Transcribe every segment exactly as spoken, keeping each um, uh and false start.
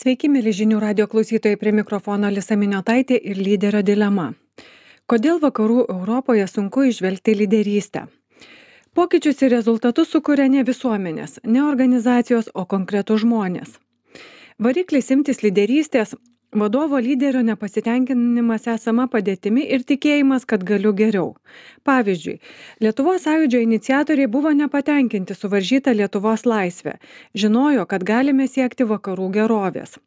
Sveiki, mėly žinių radio klausytojai, prie mikrofono Alisa Miniotaitė ir lyderio dilema. Kodėl vakarų Europoje sunku įžvelgti lyderystę? Pokyčius ir rezultatus sukuria ne visuomenės, ne organizacijos, o konkretų žmonės. Variklis imtis lyderystės – vadovo lyderio nepasitenkinimas esama padėtimi ir tikėjimas, kad galiu geriau. Pavyzdžiui, Lietuvos sąjūdžio iniciatoriai buvo nepatenkinti suvaržyta Lietuvos laisvė, žinojo, kad galime siekti vakarų gerovės.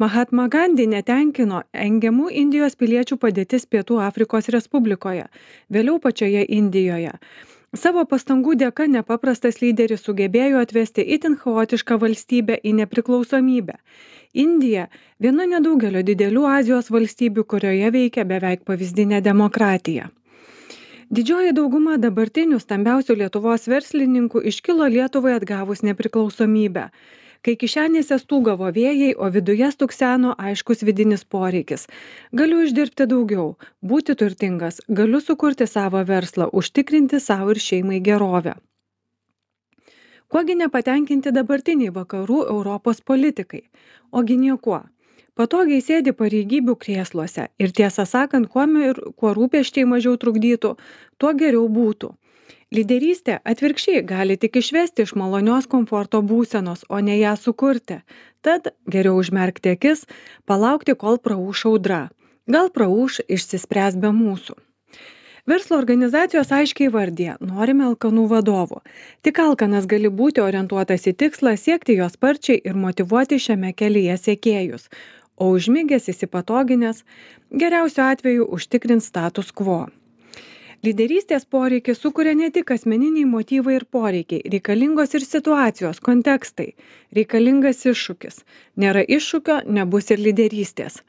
Mahatma Gandhi netenkino engiamų Indijos piliečių padėtis Pietų Afrikos Respublikoje, vėliau pačioje Indijoje. Savo pastangų dėka nepaprastas lyderis sugebėjo atvesti itin chaotišką valstybę į nepriklausomybę. Indija – viena nedaugelio didelių Azijos valstybių, kurioje veikia beveik pavyzdinė demokratija. Didžioji dauguma dabartinių stambiausių Lietuvos verslininkų iškilo Lietuvai atgavus nepriklausomybę, kai kišenėse stūgavo vėjai, o viduje stukseno aiškus vidinis poreikis. Galiu uždirbti daugiau, būti turtingas, galiu sukurti savo verslą, užtikrinti savo ir šeimai gerovę. Kuogi nepatenkinti dabartiniai vakarų Europos politikai? Ogi niekuo. Patogiai sėdi pareigybių krėsluose ir tiesą sakant, kuo, ir, kuo rūpesčiai mažiau trukdytų, tuo geriau būtų. Lyderystė atvirkščiai gali tik išvesti iš malonios komforto būsenos, o ne ją sukurti. Tad geriau užmerkti akis, palaukti, kol praūš audra. Gal praūš, išsispręs be mūsų. Verslo organizacijos aiškiai vardija, norime alkanų vadovų. Tik alkanas gali būti orientuotas į tikslą, siekti jo sparčiai ir motyvuoti šiame kelyje sekėjus. O užmigęs įsipatoginės, geriausiu atveju užtikrins status quo. Lyderystės poreikį sukuria ne tik asmeniniai motyvai ir poreikiai, reikalingos ir situacijos, kontekstai, reikalingas iššūkis. Nėra iššūkio, nebus ir lyderystės.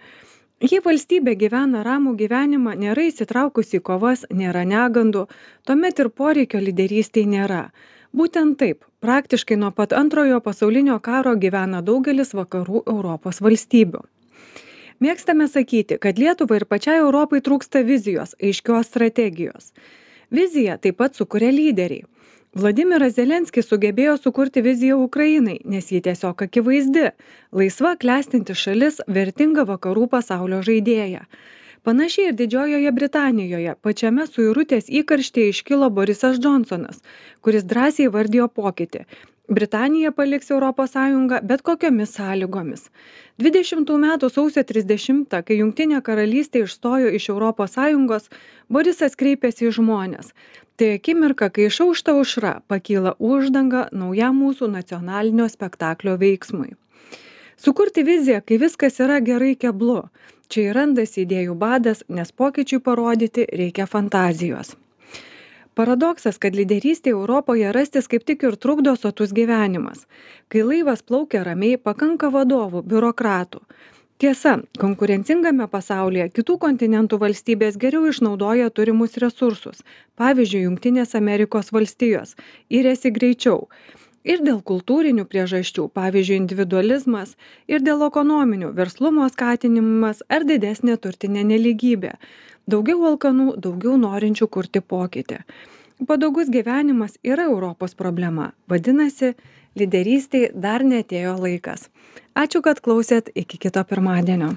Jei valstybė gyvena ramų gyvenimą, nėra įsitraukusi į kovas, nėra negandų, tuomet ir poreikio lyderystei nėra. Būtent taip, praktiškai nuo pat antrojo pasaulinio karo gyvena daugelis vakarų Europos valstybių. Mėgstame sakyti, kad Lietuvai ir pačiai Europai trūksta vizijos, aiškios strategijos. Viziją taip pat sukuria lyderiai. Vladimiras Zelenskis sugebėjo sukurti viziją Ukrainai, nes ji tiesiog akivaizdi, laisva klestinti šalis, vertinga vakarų pasaulio žaidėja. Panašiai ir Didžiojoje Britanijoje, pačiame suirutės įkarštyje iškilo Borisas Džonsonas, kuris drąsiai vardijo pokytį. Britanija paliks Europos Sąjungą bet kokiomis sąlygomis. dvidešimtų metų sausio trisdešimtą, kai Jungtinė karalystė išstojo iš Europos Sąjungos, Borisas kreipėsi į žmones. Tai akimirka, kai išaušta aušra, pakyla uždanga naujam mūsų nacionalinio spektaklio veiksmui. Sukurti viziją, kai viskas yra gerai, keblu. Čia ir randasi idėjų badas, nes pokyčiui parodyti reikia fantazijos. Paradoksas, kad lyderystė Europoje rastis kaip tik ir trukdo sotus gyvenimas. Kai laivas plaukia ramiai, pakanka vadovų, biurokratų. Tiesa, konkurencingame pasaulyje kitų kontinentų valstybės geriau išnaudoja turimus resursus, pavyzdžiui, Jungtinės Amerikos valstijos, iriasi greičiau. Ir dėl kultūrinių priežasčių, pavyzdžiui, individualizmas, ir dėl ekonominių, verslumo skatinimas ar didesnė turtinė nelygybė. Daugiau alkanų, daugiau norinčių kurti pokytį. Patogus gyvenimas yra Europos problema, vadinasi, lyderystei dar neatėjo laikas. Ačiū, kad klausėt, iki kito pirmadienio.